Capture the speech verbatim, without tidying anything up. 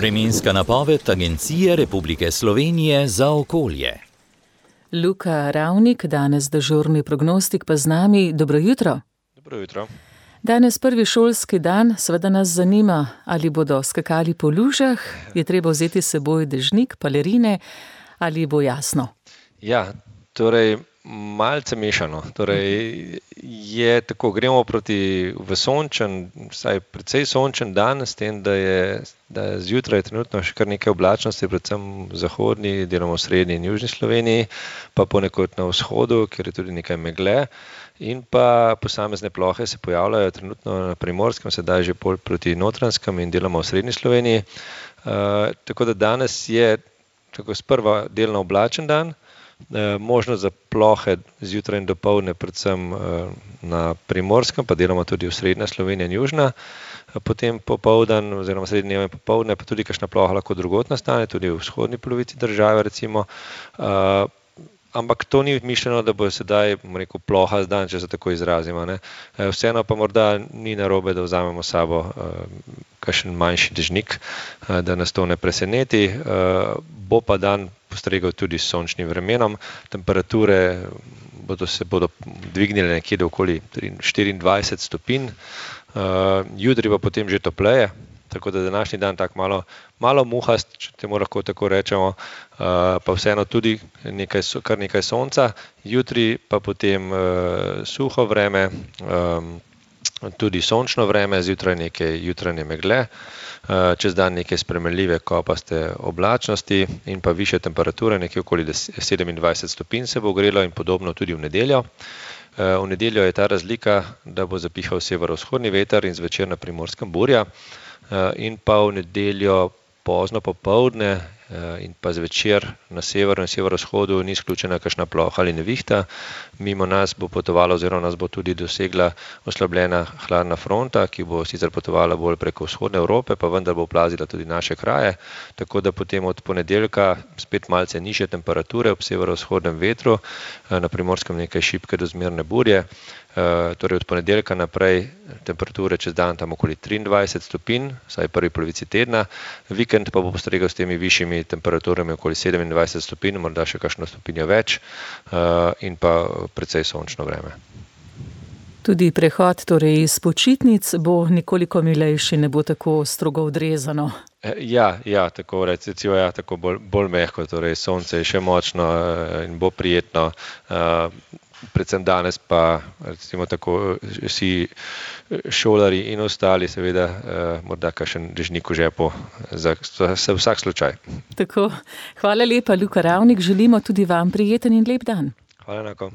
Vremenska napoved Agencije Republike Slovenije za okolje. Luka Ravnik, danes dežurni prognostik pa z nami. Dobro jutro. Dobro jutro. Danes prvi šolski dan, seveda nas zanima, ali bodo skakali po lužah, je treba vzeti s seboj dežnik, palerine, ali bo jasno? Ja, torej malce mešano. Torej je tako, gremo proti v sončen, vsaj precej sončen dan, s tem, da je, da je zjutraj trenutno še kar nekaj oblačnosti, predvsem v zahodni, deloma v srednji in južni Sloveniji, pa ponekod na vzhodu, kjer je tudi nekaj megle. In pa posamezne plohe se pojavljajo trenutno na Primorskem, sedaj že bolj proti Notranjskem in deloma v srednji Sloveniji. Uh, tako da danes je tako sprva delno oblačen dan, uh, možnost za plohe zjutraj in dopoldne, predvsem uh, na Primorskem, pa deloma tudi v srednja Slovenija in južna. Uh, potem popoldan oziroma srednji dnev in popoldne pa tudi kakšna ploha lahko drugod nastane, tudi v vzhodni polovici države recimo. Uh, Ampak to ni mišljeno, da bo sedaj, bom rekel, ploha zdan, če se tako izrazimo. Ne. Vseeno pa morda ni narobe, da vzamemo s sabo uh, kakšen manjši dežnik, uh, da nas to ne preseneti. Uh, bo pa dan postregel tudi s sončnim vremenom. Temperature bodo se bodo dvignile nekje do okoli štiriindvajset stopinj. Uh, jutri pa potem že topleje. Tako da današnji dan tak malo, malo muhast, če temu lahko tako rečemo, uh, pa vseeno tudi nekaj, kar nekaj sonca. Jutri pa potem uh, suho vreme, um, tudi sončno vreme, zjutraj nekaj jutranje megle, uh, čez dan nekaj spremenljive kopaste oblačnosti in pa višje temperature, nekje okoli sedemindvajset stopinj se bo ogrelo in podobno tudi v nedeljo. Uh, v nedeljo je ta razlika, da bo zapihal severovzhodni veter in zvečer na Primorskem burja. In pa v nedeljo pozno popoldne in pa zvečer na severu in severovzhodu ni izključena kakšna ploha ali nevihta. Mimo nas bo potovala oziroma nas bo tudi dosegla oslabljena hladna fronta, ki bo sicer potovala bolj preko vzhodne Evrope, pa vendar bo oplazila tudi naše kraje. Tako da potem od ponedeljka spet malce nižje temperature ob severovzhodnem vetru, na Primorskem nekaj šibke do zmerne burje. Uh, torej od ponedeljka naprej temperature čez dan tam okoli triindvajset stopinj, vsaj v prvi polovici tedna. Vikend pa bo postregel s temi višjimi temperaturami okoli sedemindvajset stopinj, morda še kakšno stopinjo več, uh, in pa precej sončno vreme. Tudi prehod torej iz počitnic bo nekoliko milejši, ne bo tako strogo odrezano. Ja, ja, tako recimo, ja, tako bolj, bolj mehko, torej sonce je še močno in bo prijetno. Uh, Predvsem danes pa, recimo tako, vsi šolari in ostali seveda eh, morda kakšen dežnik v žepu za, za vsak slučaj. Tako, hvala lepa, Luka Ravnik, želimo tudi vam prijeten in lep dan. Hvala enako.